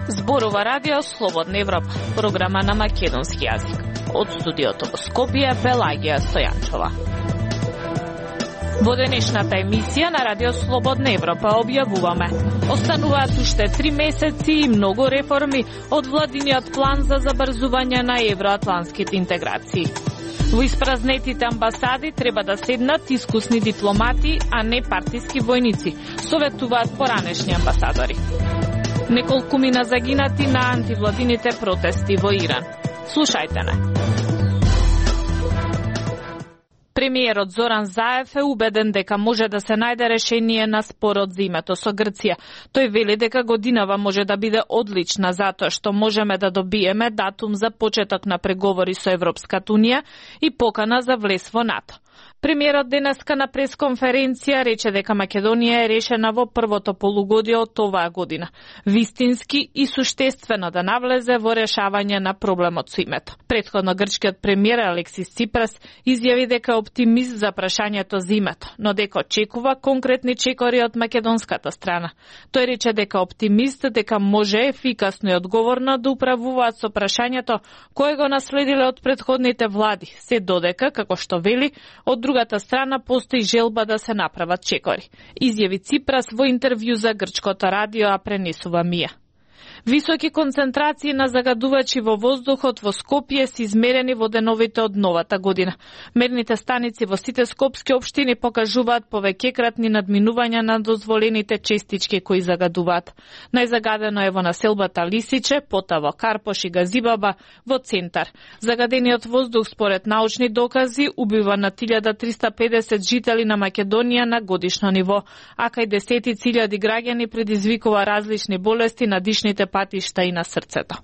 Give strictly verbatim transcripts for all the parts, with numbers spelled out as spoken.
Зборува Радио Слободна Европа, програма на македонски јазик. Од студиото во Скопје, Пелагија Стојанчова. Во денешната емисија на Радио Слободна Европа објавуваме: остануваат уште три месеци и многу реформи од владиниот план за забрзување на евроатлантските интеграции. Во испразнетите амбасади треба да седнат искусни дипломати, а не партиски војници, советуваат поранешни амбасадори. Неколку мина загинати на антивладините протести во Иран. Слушајте не. Премиерот Зоран Заев е убеден дека може да се најде решение на спорот за името со Грција. Тој вели дека годинава може да биде одлична затоа што можеме да добиеме датум за почеток на преговори со Европската унија и покана за влез во НАТО. Премиерот денеска на пресконференција рече дека Македонија е решена во првото полугодие од оваа година, вистински и суштествено да навлезе во решавање на проблемот со името. Претходно грчкиот премиер Алексис Ципрас изјави дека е оптимист за прашањето за името, но дека очекува конкретни чекори од македонската страна. Тој рече дека оптимист дека може ефикасно и одговорно да управуваат со прашањето кое го наследиле од претходните влади, се додека, како што вели, од другата страна постои желба да се направат чекори, изјави Ципрас во интервју за грчкото радио, а пренесува Мија. Високи концентрации на загадувачи во воздухот во Скопје се измерени во деновите од новата година. Мерните станици во сите скопски општини покажуваат повеќекратни надминувања на дозволените честички кои загадуваат. Најзагадено е во населбата Лисиче, пота во Карпош и Газибаба, во центар. Загадениот воздух според научни докази убива на илјада триста и педесет жители на Македонија на годишно ниво, а кај десетици илјади граѓани предизвикува различни болести на дишните патишта и на срцето.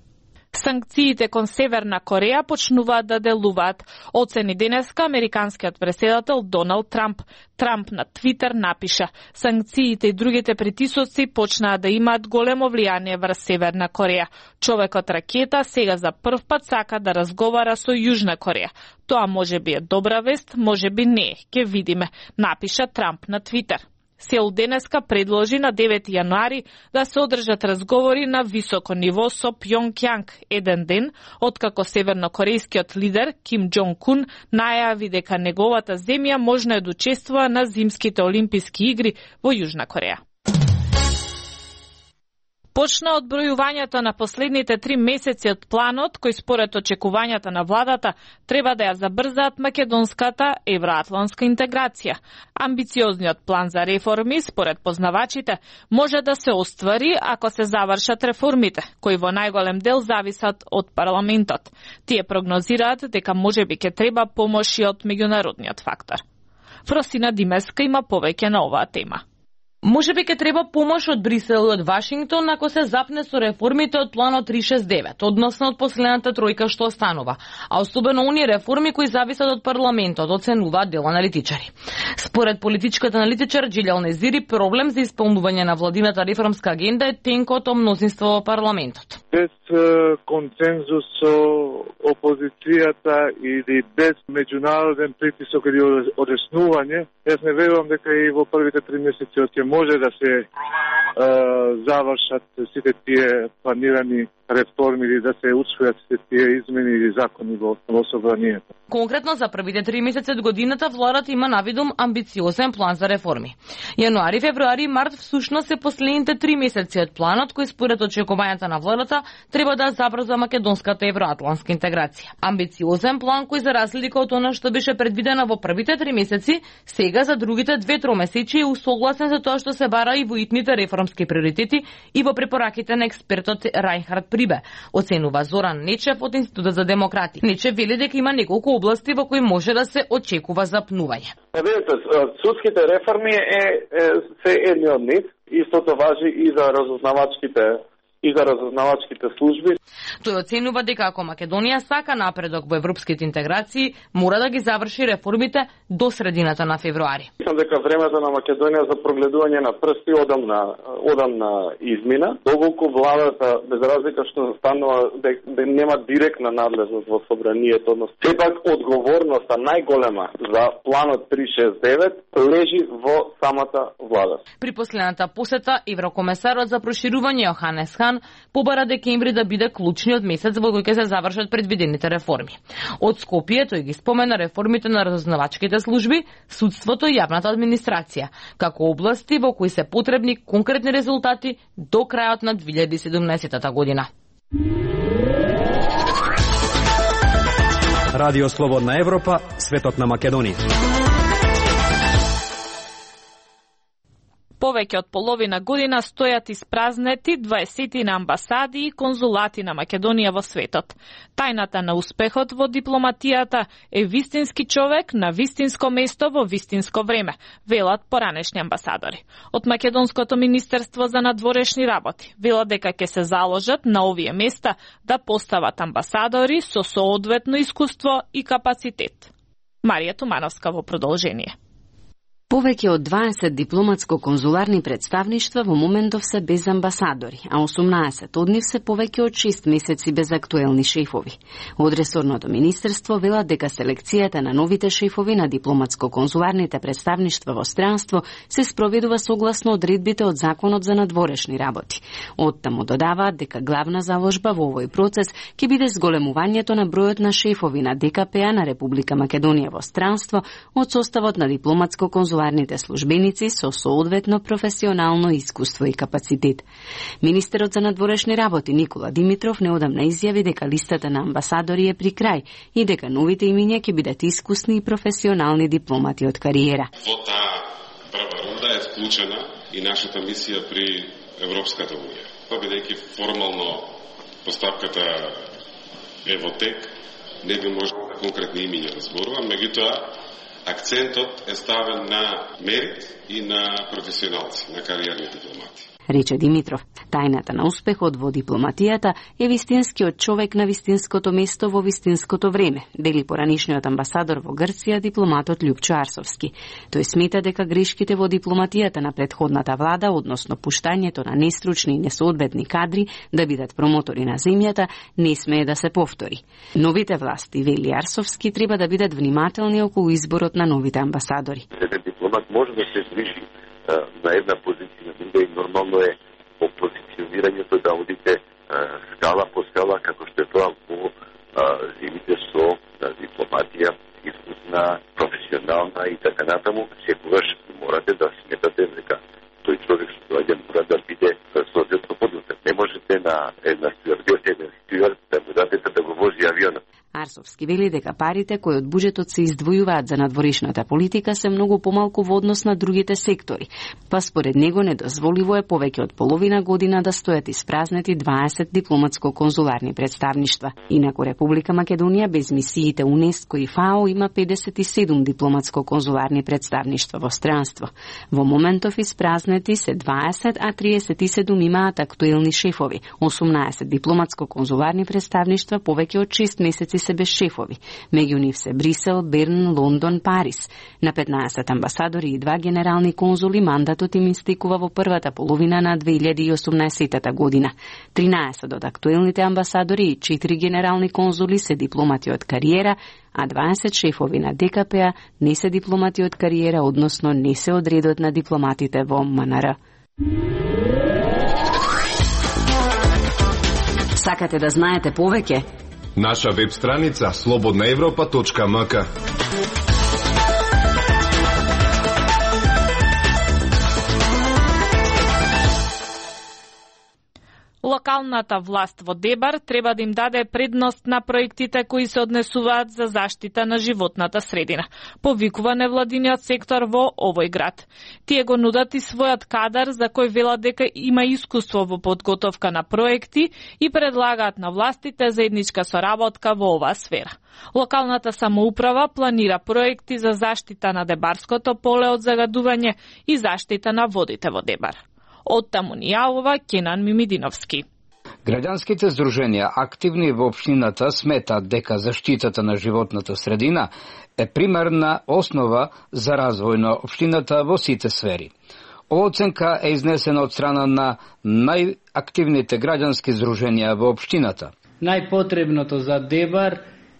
Санкциите кон Северна Кореја почнуваат да делуваат, оцени денеска американскиот претседател Доналд Трамп. Трамп на Твитер напиша: санкциите и другите притисоци почнаа да имаат големо влијание врз Северна Кореја. Човекот ракета сега за прв пат сака да разговара со Јужна Кореја. Тоа може би е добра вест, може би не, ќе видиме, напиша Трамп на Твитер. Сеул денеска предложи на девети јануари да се одржат разговори на високо ниво со Пјонгјанг, еден ден откако севернокорејскиот лидер Ким Џонг Ун најави дека неговата земја можно да учествува на зимските олимписки игри во Јужна Кореја. Почна одбројувањето на последните три месеци од планот, кој според очекувањата на владата треба да ја забрзаат македонската евроатлантска интеграција. Амбициозниот план за реформи, според познавачите, може да се оствари ако се завршат реформите, кои во најголем дел зависат од парламентот. Тие прогнозираат дека можеби ќе треба помош и од меѓународниот фактор. Фросина Димеска има повеќе на оваа тема. Може би ќе треба помош од Брисел и од Вашингтон ако се запне со реформите од планот три шест девет, односно од последната тројка што останува, а особено оние реформи кои зависат од парламентот, оценуваат дел аналитичари. Според политичката аналитичар Джилјал Незири, проблем за исполнување на владината реформска агенда е тенкото мнозинство во парламентот. Без консензус со опозицијата или без меѓународен притисок или одеснување, јас не верувам дека и во првите три месеци ќе може да се е, завршат сите тие планирани реформи или да се усвојат сите тие измени или закони во, во собранието. Конкретно за првите три месеци од годината владата има навидум амбициозен план за реформи. Јануари, февруари и март всушност се последните три месеци од планот кој според очекувањата на владата треба да забрза македонската евроатлантска интеграција. Амбициозен план кој за разлика од она што беше предвидено во првите три месеци, сега за другите две тромесечи е усогласен за тоа што се бара и во итните реформски приоритети и во препораките на експертот Рајнхард Прибе, оценува Зоран Нечев од Институтот за демократи. Нечев вели дека има неколку области во кои може да се очекува запнување. Видете, судските реформи е, е се едни од нив. Истото важи и за разузнавачките и за разузнавачките служби. Тој оценува дека ако Македонија сака напредок во европските интеграции, мора да ги заврши реформите до средината на февруари. Мислам дека времето на Македонија за прогледување на прсти одамна одамна измина, доколку владата без разлика што станува дека нема директна надлежност во собранието, но сепак одговорноста најголема за планот триста шесто и девет лежи во самата влада. При последната посета еврокомесарот за проширување Јоханес Хан побара декември да биде клучниот месец во кој ќе се завршат предвидените реформи. Од Скопје тој ги спомена реформите на разузнавачките служби, судството и јавната администрација, како области во кои се потребни конкретни резултати до крајот на две илјади и седумнаесета година. Радио Слободна Европа, светот на Македонија. Повеќе од половина година стојат испразнети дваесетина амбасади и конзулати на Македонија во светот. Тајната на успехот во дипломатијата е вистински човек на вистинско место во вистинско време, велат поранешни амбасадори. Од Македонското министерство за надворешни работи велат дека ќе се заложат на овие места да постават амбасадори со соодветно искуство и капацитет. Марија Тумановска во продолжение. Повеќе од дваесет дипломатско-конзуларни представништва во моментов се без амбасадори, а осумнаесет од нив се повеќе од шест месеци без актуелни шефови. Од ресорното министерство велат дека селекцијата на новите шефови на дипломатско-конзуларните представништва во странство се спроведува согласно одредбите од Законот за надворешни работи. Оттаму додаваат дека главна заложба во овој процес ќе биде зголемувањето на бројот на шефови на Д К П А на Република Македонија во странство од составот на дипломатско-конзуларните службеници со соодветно професионално искуство и капацитет. Министерот за надворешни работи Никола Димитров неодамна изјави дека листата на амбасадори е при крај и дека новите имиња ќе бидат искусни и професионални дипломати од кариера. Во таа прва рунда е вклучена и нашата мисија при Европската унија. Бидејќи формално постапката е во тек, не би можело конкретни имиња да зборувам, меѓутоа акцентот е ставен на мерит и на професионалци, на кариерни дипломати. Рече Димитров, тајната на успехот во дипломатијата е вистинскиот човек на вистинското место во вистинското време, дели поранишниот амбасадор во Грција, дипломатот Љупчо Арсовски. Тој смета дека грешките во дипломатијата на претходната влада, односно пуштањето на нестручни и несоодветни кадри да бидат промотори на земјата, не смее да се повтори. Новите власти, вели Арсовски, треба да бидат внимателни околу изборот на новите амбасадори. Еден дипломат може да се движи на една позиција на друга и нормално е по позиционирањето да одите скала по скала како што е тоа во земите со дипломатија искусна, професионална и така натаму. Секогаш морате да сметате дека тој човек што доаѓа мора да биде соодветно подготвен. Не можете на една стюардес, еден стюард да му дадете да го вози авионот. Арсовски вели дека парите кои од буџетот се издвојуваат за надворешната политика се многу помалку во однос на другите сектори, па според него недозволиво е повеќе од половина година да стојат испразнети дваесет дипломатско-конзуларни представништва. Инаку Република Македонија без мисиите УНЕСКО и ФАО има педесет и седум дипломатско-конзуларни представништва во странство. Во моментов испразнети се дваесет, а триесет и седум имаат актуелни шефови. осумнаесет дипломатско-конзуларни представништва повеќе од шест месеци се без шефови. Меѓу нив се Брисел, Берн, Лондон, Париз. На петнаесет амбасадори и два генерални конзули мандатот им истекува во првата половина на две илјади и осумнаесета година. тринаесет од актуелните амбасадори и четири генерални конзули се дипломати од кариера, а дваесет шефови на Д К П А не се дипломати од кариера, односно не се од редот на дипломатите во М Н Р. Сакате да знаете повеќе? Наша веб страница слободна европа точка м к. Локалната власт во Дебар треба да им даде предност на проектите кои се однесуваат за заштита на животната средина, повикува невладиниот сектор во овој град. Тие го нудат и својот кадар за кој велат дека има искуство во подготовка на проекти и предлагаат на властите заедничка соработка во оваа сфера. Локалната самоуправа планира проекти за заштита на Дебарското поле од загадување и заштита на водите во Дебар. Од таму ни јавува Кенан Мимидиновски. Граѓанските здруженија активни во општината сметаат дека заштитата на животната средина е примерна основа за развој на општината во сите сфери. Ова оценка е изнесена од страна на најактивните граѓански здруженија во општината. Најпотребното за Дебар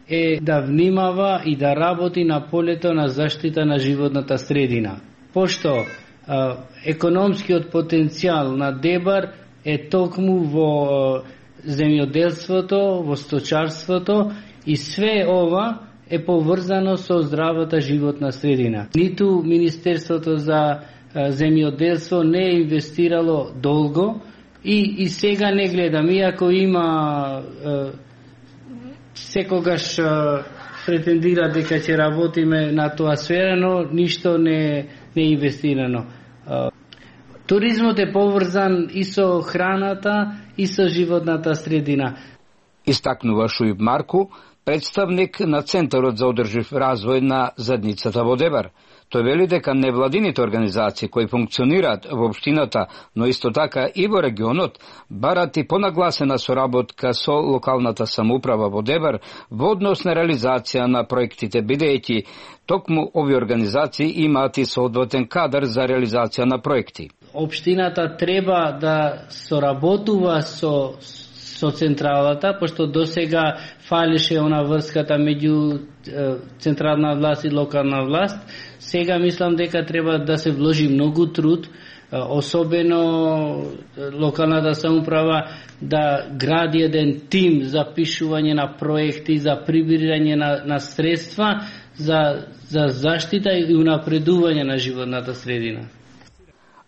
е да внимава и да работи на полето на заштита на животната средина. Пошто а, економскиот потенцијал на Дебар е токму во земјоделството, во сточарството и све ова е поврзано со здравата животна средина. Ниту Министерството за земјоделство не е инвестирало долго и, и сега не гледам, иако има е, секогаш е, претендира дека ќе работиме на тоа сфера, но ништо не, не е инвестирано. Е, туризмот е поврзан и со храната, и со животната средина. Истакнува Шујб Марку, представник на Центарот за одржив развој на заедницата во Дебар. Тој вели дека невладините организации кои функционираат во општината, но исто така и во регионот, барат и понагласена соработка со локалната самоуправа во Дебар во однос на реализација на проектите, бидејќи токму овие организации имаат и соодветен кадар за реализација на проекти. Општината треба да соработува со со централата, пошто досега фалеше она врската меѓу е, централна власт и локална власт. Сега мислам дека треба да се вложи многу труд, особено локалната самоуправа да гради еден тим за пишување на проекти, за прибирање на, на средства за, за заштита и унапредување на животната средина.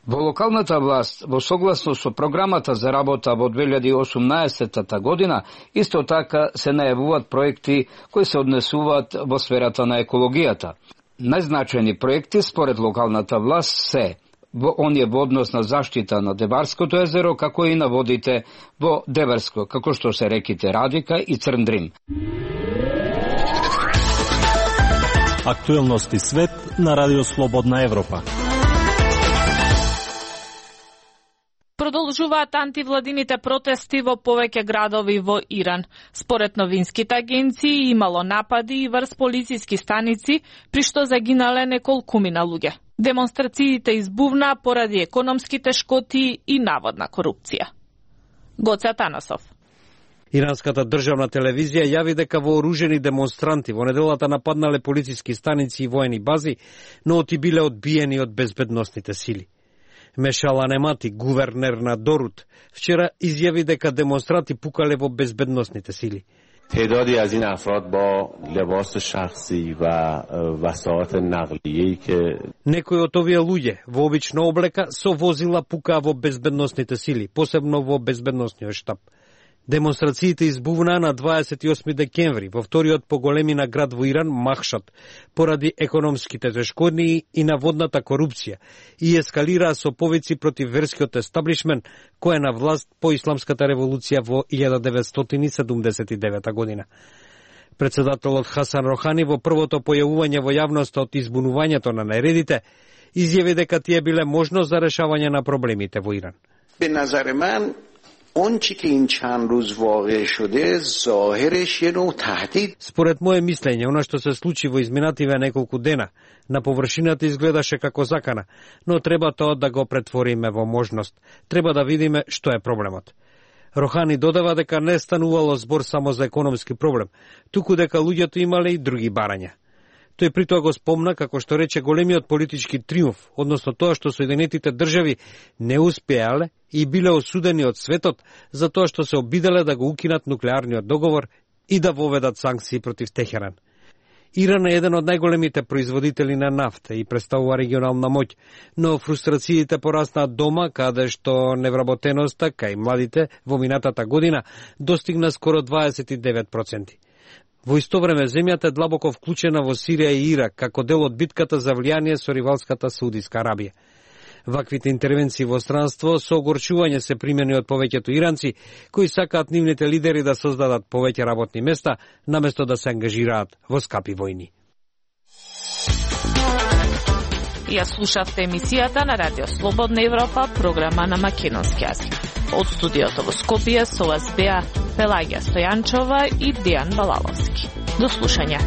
Во локалната власт, во согласно со програмата за работа во две илјади и осумнаесетта година, исто така се најавуваат проекти кои се однесуваат во сферата на екологијата. Најзначајни проекти според локалната власт се во оние во однос на заштита на Дебарското езеро, како и на водите во Дебарско, како што се реките Радика и Црндрим. Актуелности свет на Радио Слободна Европа. Продолжуваат антивладините протести во повеќе градови во Иран. Според новинските агенции имало напади и врз полициски станици, при што загинале неколкумина луѓе. Демонстрациите избувна поради економските шкоти и наводна корупција. Гоце Атанасов. Иранската државна телевизија јави дека вооружени демонстранти во неделата нападнале полициски станици и воени бази, но оти биле одбиени од безбедносните сили. Мешала Немати, гувернер на Дорут, вчера изјави дека демонстранти пукале во безбедносните сили. تعدادی از این افراد با لباس شخصی و وسایط نقلیه‌ای که Некои од овие луѓе во обична облека со возила пукаа во безбедносните сили, посебно во безбедносниот штаб. Демонстрациите избувнаа на дваесет и осми декември во вториот по големина град во Иран, Махшад, поради економските тешкотии и наводната корупција и ескалираа со повици против верскиот естаблишмент кој е на власт по исламската револуција во илјада деветстотини седумдесет и девета година. Председателот Хасан Рохани во првото појавување во јавноста од избунувањето на нередите изјави дека тие биле можност за решавање на проблемите во Иран. اون چی که این چند روز واقع شده ظاهرش یه نوع تهدید. Според мое мислење, она што се случи во изминативе неколку дена, на површината изгледаше како закана, но треба тоа да го претвориме во можност. Треба да видиме што е проблемот. Рохани додава дека не станувало збор само за економски проблем, туку дека луѓето имале и други барања. Тој при тоа го спомна како што рече големиот политички триумф, односно тоа што Соединетите држави не успеале и биле осудени од светот за тоа што се обиделе да го укинат нуклеарниот договор и да воведат санкции против Техеран. Иран е еден од најголемите производители на нафта и представува регионална моќ, но фрустрациите пораснаа дома, каде што невработеноста кај младите во минатата година достигна скоро дваесет и девет проценти. Во исто време, земјата е длабоко вклучена во Сирија и Ирак, како дел од битката за влијание со ривалската Саудиска Арабија. Ваквите интервенции во странство со огорчување се примени од повеќето иранци, кои сакаат нивните лидери да создадат повеќе работни места, наместо да се ангажираат во скапи војни. Ја слушавте емисијата на Радио Слободна Европа, програма на македонски јазик. Од студиото во Скопје со вас беа Пелагија Стојанчова и Дијан Балаловски. До слушање.